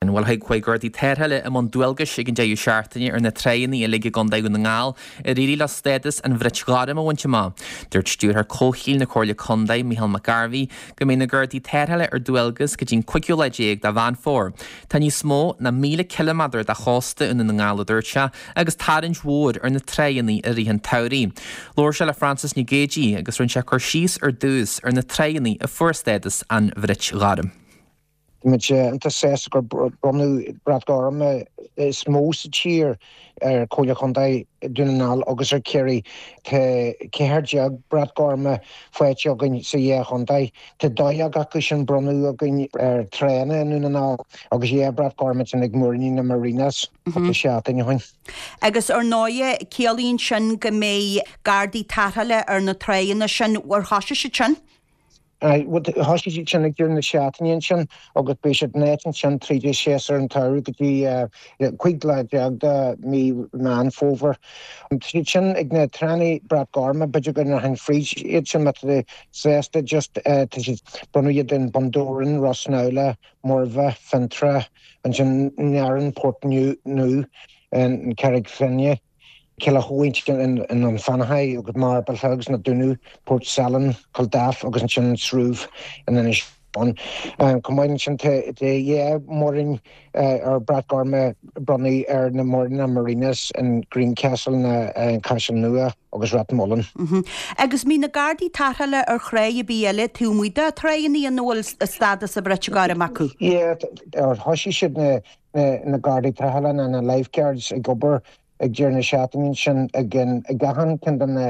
Bhuel, chuaigh Gardaí Tarrthála i mbun dualgais ag an deireadh seachtaine ar na tráigheanna uilig i gContae Dhún na nGall ar éirigh leo stádas an bhrait ghoirm a bhaint amach. Dúirt Stiúrthóir Comhshaoil na Comhairle Contae, Micheál Mac Gairbhí, go mbeidh na Gardaí Tarrthála ar dualgas go dtí'n cúigiú lá déag de Mheán Fómhair. Tá níos mó ná 1,000 ciliméadar de chósta i nDún na nGall, a dúirt sé, agus tarraingt mhór ar na tráigheanna i rith an tsamhraidh. Labhair sé le Frances Nic Géadaigh agus rinne sé cur síos ar dtús ar na tráigheanna a fuair stádas an bhrait ghoirm. Tá muid iontach sásta gur bronnadh Brat Gorm is mó sa tír ar Chomhairle Chontae Dhún na nGall agus ar Chiarraí. Tá 14 Brat Gorma faighte againn sa dhá chontae. Tá 12 acu sin bronnadh againn ar tránna i nDún na nGall agus 2 Brat Gorm ansin ag múiríní na Marinas cúpla seachtain ó shin. Agus ar ndóighe, ciallaíonn sin go mbeidh Gardaí Tarrthála ar na tráigheanna sin. Ar thoisigh siad sin? Thoisigh siad sin ag deireadh na seachtaine ansin agus beidh siad in áit ansin tríd séasúr an tsamhraidh go dtí 15 lá de mí Meán Fómhair. Tá siad sin ag na tránna Brat Gorma, b'fhéidir go ndeachainn fríd iad sin má tá tú sásta just tá siad, bronnadh iad in Bun Dobhráin, Ros Neamhlach, Murvagh, Fionntrá, ansin Narin, Port Nua, an Charraig Finne. Cill Átha in An Fionnachaidh agus Marble Hill agus Na Dúnaibh, Port Salann, Culdaff agus ansin an Srúbh in Inis Eoghain. Chomh maith ansin tá dhá mhuirín ar Brat Gorm a bronnadh ar na muiríní Marinas in Greencastle na an Caiseal Nua agus Rathmullan. Agus an mbíonn na Gardaí Tarrthála ar thráigh ar bith eile taobh amuigh de thráigheanna ina bhfuil stádas an bhrait ghoirm acu? Yeah, thoisigh siad na na Gardaí Tarrthála nó na Lifeguards ag obair ag deireadh na seachtaine ansin ag ag achan ceann de na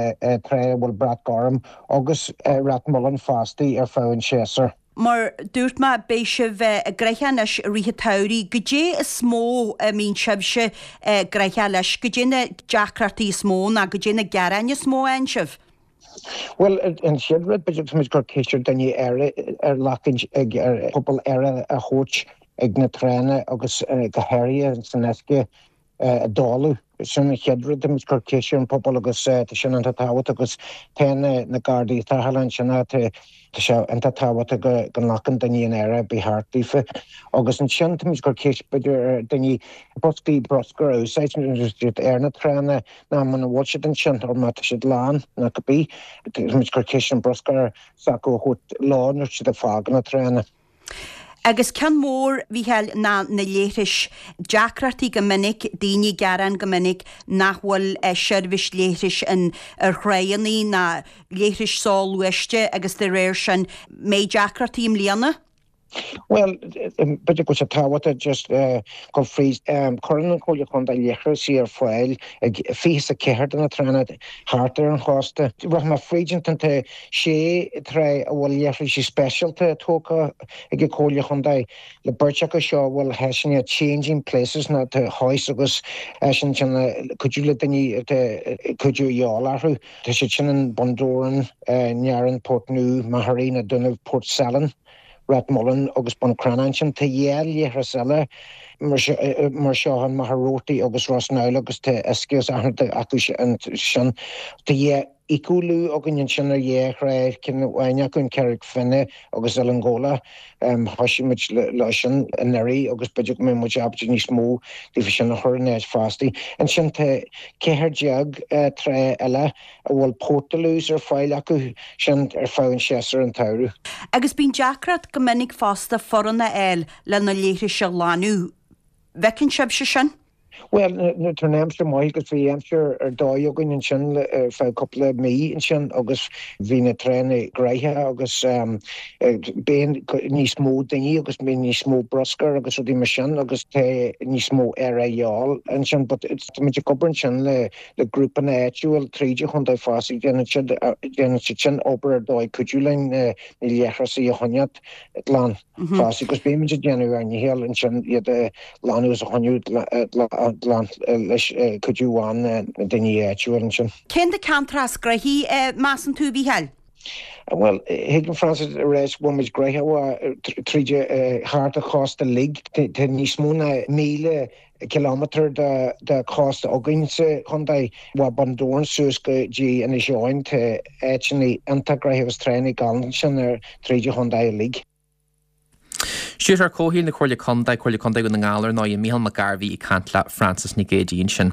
tráigh a bhfuil brat gorm agus Rathmullan fosta ar feadh an tséasúir. Mar dúirt mé, beidh sibh gnoitheach anois i rith an tsamhraidh. Goidé is mó a mbíonn sibhse gnoitheach leis? Goidé na deacrachtaí is mó nó goidé na gearáin is mó a fhaigheann sibh? Bhuel, an chéad rud, b'fhéidir, tá muid ag cur ceist ar daoine aire a ghlacann ag ar phobal aire a thabhairt ag na tránna agus go háirithe san uisce i dtólamh. Sin an chéad rud, tá muid ag cur ceist ar an pobal agus tá sin iontach tábhachtach agus tá na Gardaí Tarrthála ansin tá Tá sé iontach tábhachtach go go nglacann daoine an aire ba cheart daofa. Agus ansin tá muid ag cur ceist b'fhéidir ar daoine boscaí bruscair a úsáid nuair atá siad ar na tránna nó muna bhfuil siad ansin nó má tá siad lán nó cibé. Tá muid ag cur ceist an bruscar s'acu a thabhairt leo nuair atá siad ag fágáil na tránna. Agus ceann mór, a Mhícheáil, ná na leithris. Deacrachtaí go minic, daoine ag gearán go minic nach bhfuil seirbhís leithris in ar thráigheanna ná leithris soghluaiste agus de réir sin, mbeidh deacrachtaí i mbliana? Bhuel, b'fhéidir go bhfuil sé tábhachtach just dul fríd. Cuireann an Chomhairle Chontae leithreasaí ar fáil ag 24 de na tránna thart ar an chósta. Rachaidh mé fríd an tá sé trá a bhfuil leithreasaí speisialta tógtha ag an Chomhairle Chontae, le beirt acu seo a bhfuil áiseanna changing places nó tá hoist agus áiseanna ansin le cuidiú le daoine atá cuidiú a dhíobháil orthu. Tá siad sin in Bun Dobhráin, Nearáin, Port Nua, Machairí, Na Dúnaibh, Port Salann, Ráth Mholláin agus Bun Cranncha. Ansin tá dhá leithreas eile mar seo in Machaire Rabhartaigh agus Ros Neamhlach agus tá uisce agus achan rud acu sin. Tá dhá eco-loo againn ansin ar dhá thrá, ceann amháin acu in Carraig Finne agus Oileán Ghabhla. Thoisigh muid leo sin anuraidh agus b'fhéidir go mbeidh muid ábalta níos mó díobh sin a chur in áit fosta. Ansin tá 14 trá eile a bhfuil portaloos ar fáil acu sin ar feadh an séasúr an tsamhraidh. Agus bíonn deacracht go minic fosta foireann a fháil le na leithris a ghlanadh. Bhfeiceann sibhse sin? Bhuel, nuair atá an aimsir maith agus bhí aimsir ar dóigh againn ansin ar feadh cúpla mí ansin agus bhí na tránna gnoitheach agus bíonn níos mó daoine agus bíonn níos mó bruscair agus rudaí mar sin agus tá níos mó aire a dhíobháil ansin. But tá muid ag obair ansin le le grúpanna áitiúil tríd an chontae fosta déanann siad déanann siad sin obair ar dóigh cuidiú linn na leithreasaí a choinneáil glan. Fosta agus bímid ag déanamh ár ndícheall ansin iad a ghlanadh is a choinneáil glan leis cuidiú ó na daoine áitiúil ansin. Cén na ceantracha is gnoithí, measann tú, a Mhícheáil? Bhuel, thig liom Frances a rá go bhfuil muid gnoitheach tríd thart an chósta uilig. Tá níos mó ná 1,000 cileámetar de chósta againn sa chontae, ó Bhun Dobhráin suas go dtí Inis Eoghain. Tá áiteanna iontach gnoitheach agus tránna galánta ansin ar tríd an chontae uilig. Stiúrthóir Comhshaoil na Comhairle Contae, Comhairle Contae Dhún na nGall ar ndóigh, Mícheál Mac Gairbhí ag caint le Frances Nic Géadaigh ansin.